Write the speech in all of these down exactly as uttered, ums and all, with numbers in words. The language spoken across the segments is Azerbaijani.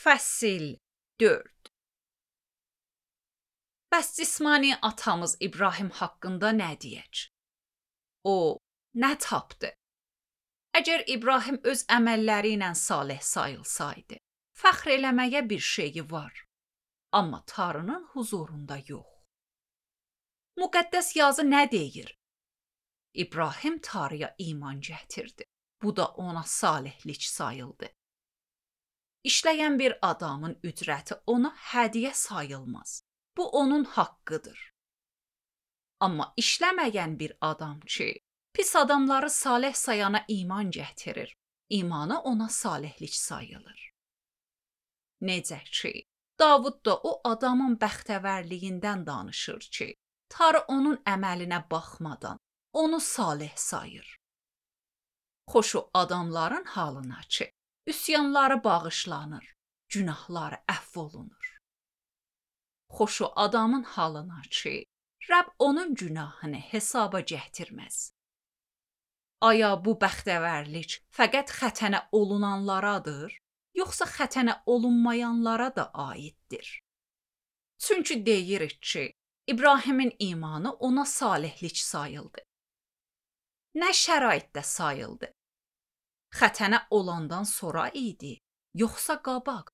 Fəsil dörd. Bəs cismani atamız İbrahim haqqında nə deyək? O nə tapdı? Əgər İbrahim öz əməlləri ilə salih sayılsaydı, fəxr eləməyə bir şeyi var, amma Tanrının huzurunda yox. Müqəddəs yazı nə deyir? İbrahim Tanrıya iman gətirdi. Bu da ona salihlik sayıldı. İşləyən bir adamın ücrəti ona hədiyyə sayılmaz. Bu onun haqqıdır. Amma işləməyən bir adam ki, pis adamları salih sayana iman gətirir, imanı ona salihlik sayılır. Necə ki, Davud da o adamın bəxtəvərliyindən danışır ki, Tanrı onun əməlinə baxmadan onu salih sayır. Xoş o adamların halına ki, üsyanları bağışlanır, günahları əfv olunur. Xoş o adamın halına ki, Rəbb onun günahını hesaba gətirməz. Aya bu bəxtəvərlik fəqət xətənə olunanlaradır, yoxsa xətənə olunmayanlara da aiddir? Çünki deyirik ki, İbrahimin imanı ona salihlik sayıldı. Nə şəraitdə sayıldı? Xətənə olandan sonra idi, yoxsa qabaq?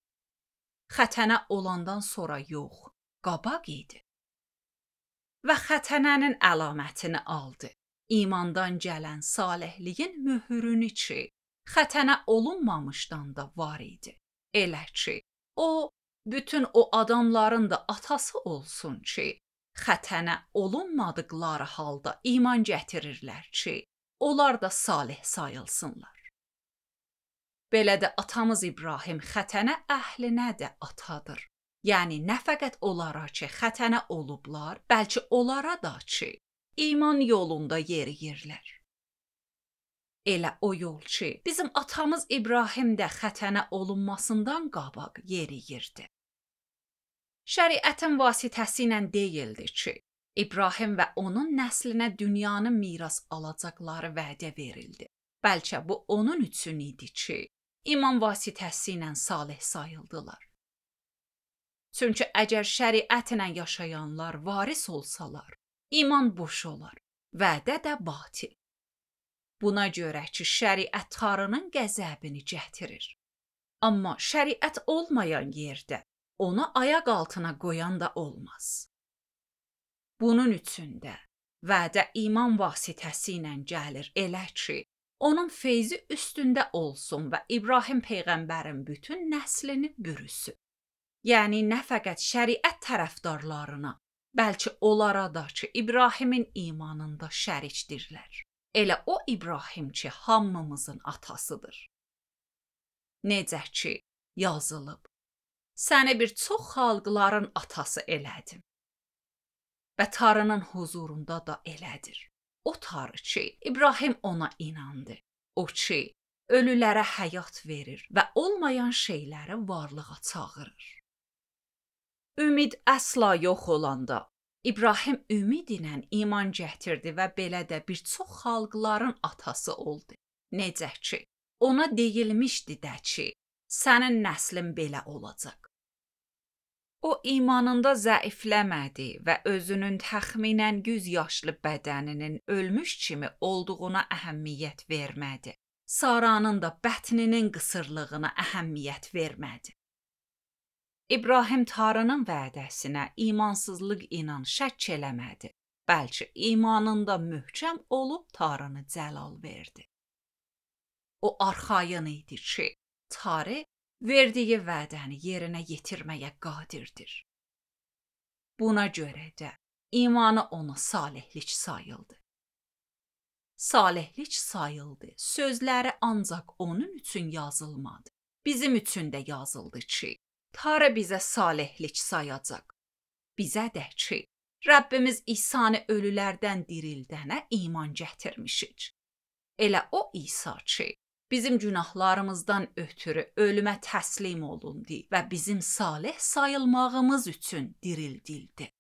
Xətənə olandan sonra yox, qabaq idi. Və xətənənin əlamətini aldı. İmandan gələn salihliyin möhürünü ki, xətənə olunmamışdan da var idi. Elə ki, o, bütün o adamların da atası olsun ki, xətənə olunmadıqları halda iman gətirirlər ki, onlar da salih sayılsınlar. Belə də atamız İbrahim xətənə əhlinə də atadır. Yəni, nə fəqət onlara ki, xətənə olublar, bəlkə onlara da ki, iman yolunda yeriyirlər. Elə o yol ki, bizim atamız İbrahim də xətənə olunmasından qabaq yeriyirdi. Şəriətin vasitəsi ilə deyildi ki, İbrahim və onun nəslinə dünyanın miras alacaqları vədə verildi. Bəlkə bu onun üçün idi ki, iman vasitəsi ilə salih sayıldılar. Çünki əgər şəriət ilə yaşayanlar varis olsalar, iman boş olar, vədə də batil. Buna görə ki, şəriət Tanrının qəzəbini gətirir. Amma şəriət olmayan yerdə onu ayaq altına qoyan da olmaz. Bunun üçün də vədə iman vasitəsi ilə gəlir elə ki, onun feyzi üstündə olsun və İbrahim peyğəmbərin bütün nəslini bürüsün. Yəni, nə fəqət şəriət tərəfdarlarına, bəlkə onlara da ki, İbrahimin imanında şərikdirlər. Elə o İbrahim ki, hamımızın atasıdır. Necə ki, yazılıb, səni bir çox xalqların atası elədim. Və Tanrının huzurunda da elədir. O Tanrı ki, İbrahim ona inandı. O ki, ölülərə həyat verir və olmayan şeyləri varlığa çağırır. Ümid əsla yox olanda, İbrahim ümid ilə iman gətirdi və belə də bir çox xalqların atası oldu. Necə ki, ona deyilmişdi də ki, sənin nəslin belə olacaq. O imanında zəifləmədi və özünün təxminən yüz yaşlı bədəninin ölmüş kimi olduğuna əhəmiyyət vermədi. Saranın da bətninin qısırlığına əhəmiyyət vermədi. İbrahim Tanrının vədəsinə imansızlıq ilə şəkk eləmədi. Bəlkə imanında möhkəm olub Tanrını cəlal verdi. O arxayın idi ki, Tanrı verdiyi vədəni yerinə yetirməyə qadirdir. Buna görə də imanı ona salihlik sayıldı. Salihlik sayıldı, sözləri ancaq onun üçün yazılmadı. Bizim üçün də yazıldı ki, Tanrı bizə salihlik sayacaq. Bizə də ki, Rəbbimiz İsa'nı ölülərdən dirildənə iman gətirmişik. Elə o İsa ki, bizim günahlarımızdan ötürü ölümə təslim olundu və bizim salih sayılmağımız üçün dirildildi.